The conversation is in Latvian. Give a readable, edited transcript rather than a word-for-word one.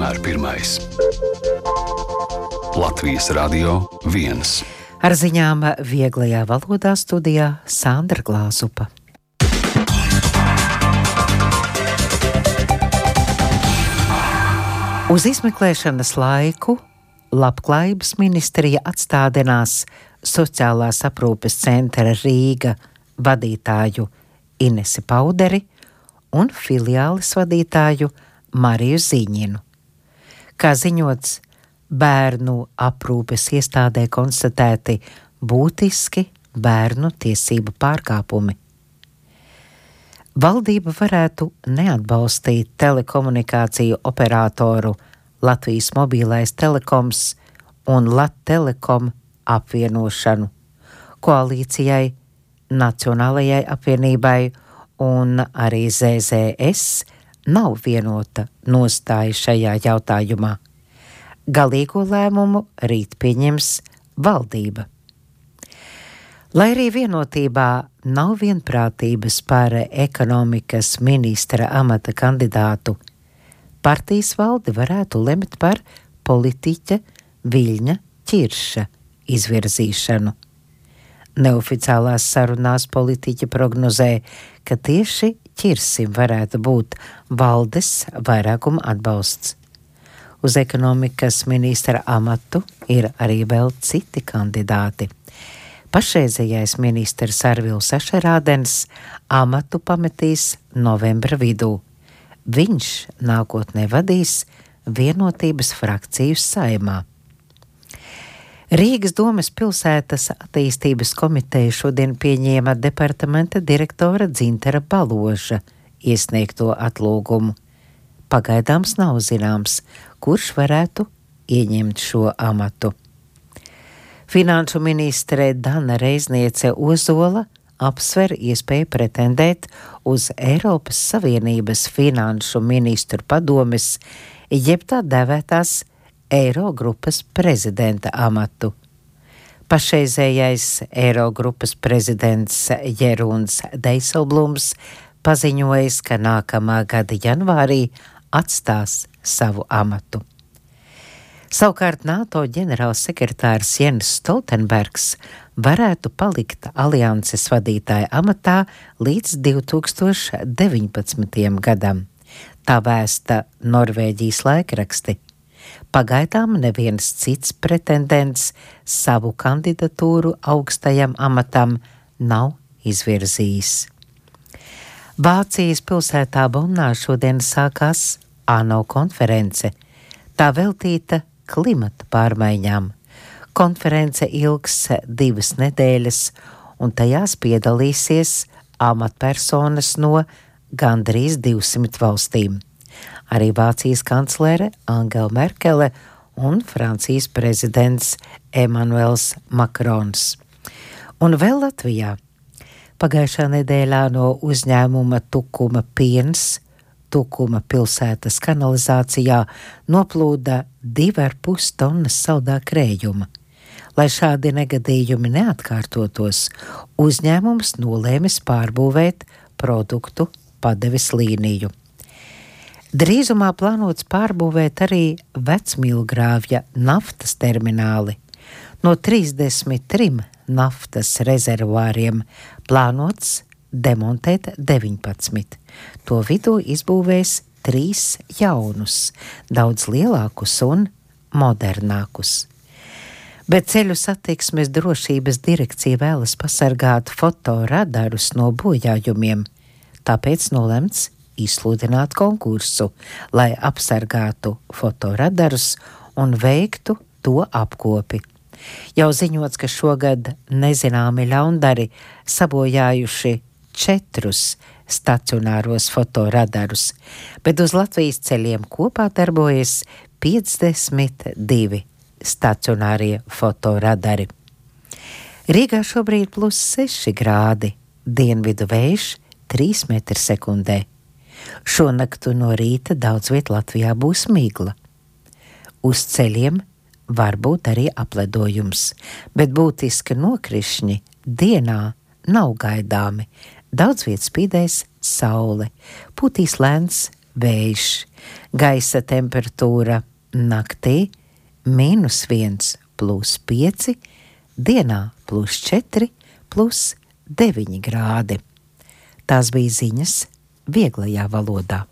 vienmēr pirmais. Latvijas Radio 1. Ar ziņām vieglajā valodā studijā Sandra Glāzupa. Uz izmeklēšanas laiku Labklājības ministrija atstādinās Sociālās aprūpes centra Rīga vadītāju Inesi Pauderi un filiāles vadītāju Mariju Ziņinu. Kā ziņots, bērnu aprūpes iestādē konstatēti būtiski bērnu tiesību pārkāpumi. Valdība varētu neatbalstīt telekomunikāciju operatoru Latvijas Mobilais telekoms un Lattelekom apvienošanu, koalīcijai, Nacionālajai apvienībai un arī ZZS nav vienota nostāja šajā jautājumā. Galīgo lēmumu rīt pieņems valdība. Lai arī vienotībā nav vienprātības par ekonomikas ministra amata kandidātu, partijas valde varētu lemt par politiķa Viļņa Ķirša izvirzīšanu. Neoficiālās sarunās politiķi prognozē, ka tieši Ķirsim varētu būt valdes vairākuma atbalsts. Uz ekonomikas ministra amatu ir arī vēl citi kandidāti. Pašreizējais ministrs Arvils Ašerādens amatu pametīs novembra vidū. Viņš nākotnē vadīs Vienotības frakciju Saeimā. Rīgas domes pilsētas attīstības komiteja šodien pieņēma departamenta direktora Dzintara Baloža iesniegto atlūgumu. Pagaidāms nav zināms, kurš varētu ieņemt šo amatu. Finanšu ministre Dana Reizniece Ozola apsver iespēju pretendēt uz Eiropas Savienības finanšu ministru padomes, jeb tā dēvētās Eirogrupas prezidenta amatu. Pašreizējais Eirogrupas prezidents Jeruns Deiselblums paziņojis, ka nākamā gada janvārī atstās savu amatu. Savukārt NATO ģenerālsekretārs Jens Stoltenbergs varētu palikt alianses vadītāja amatā līdz 2019. gadam. Tā vēsta Norvēģijas laikraksti. Pagaidām neviens cits pretendents savu kandidatūru augstajam amatam nav izvirzījis. Vācijas pilsētā Bonnā šodien sākās ANO konference. Tā veltīta klimata pārmaiņām. Konference ilgs 2 nedēļas, un tajās piedalīsies amatpersonas no gandrīz 200 valstīm. Arī Vācijas kanclere Angela Merkele un Francijas prezidents Emmanuels Macrons. Un vēl Latvijā. Pagājušā nedēļā no uzņēmuma Tukuma piens Tukuma pilsētas kanalizācijā noplūda 2,5 tonnas saldā krējuma. Lai šādi negadījumi neatkārtotos, uzņēmums nolēmis pārbūvēt produktu padeves līniju. Drīzumā plānots pārbūvēt arī Vecmilgrāvja naftas termināli. No 33 naftas rezervuāriem plānots demontēt 19. To vidū izbūvēs 3 jaunus, daudz lielākus un modernākus. Bet ceļu satiksmes drošības direkcija vēlas pasargāt fotoradarus no bojājumiem, tāpēc nolemts izsludināt konkursu, lai apsargātu fotoradarus un veiktu to apkopi. Jau ziņots, ka šogad nezināmi ļaundari sabojājuši 4 stacionāros fotoradarus, bet uz Latvijas ceļiem kopā darbojas 52 stacionārie fotoradari. Rīgā šobrīd +6 grādi, dienvidu vējš 3 metri sekundē. Šonaktu no rīta daudz viet Latvijā būs migla. Uz ceļiem var būt arī apledojums, bet būtiski nokrišņi dienā nav gaidāmi. Daudz viet spīdēs saule, pūtīs lēns vējš, gaisa temperatūra naktī -1 +5, dienā +4 +9 grādi. Tās bija ziņas vieglajā valodā.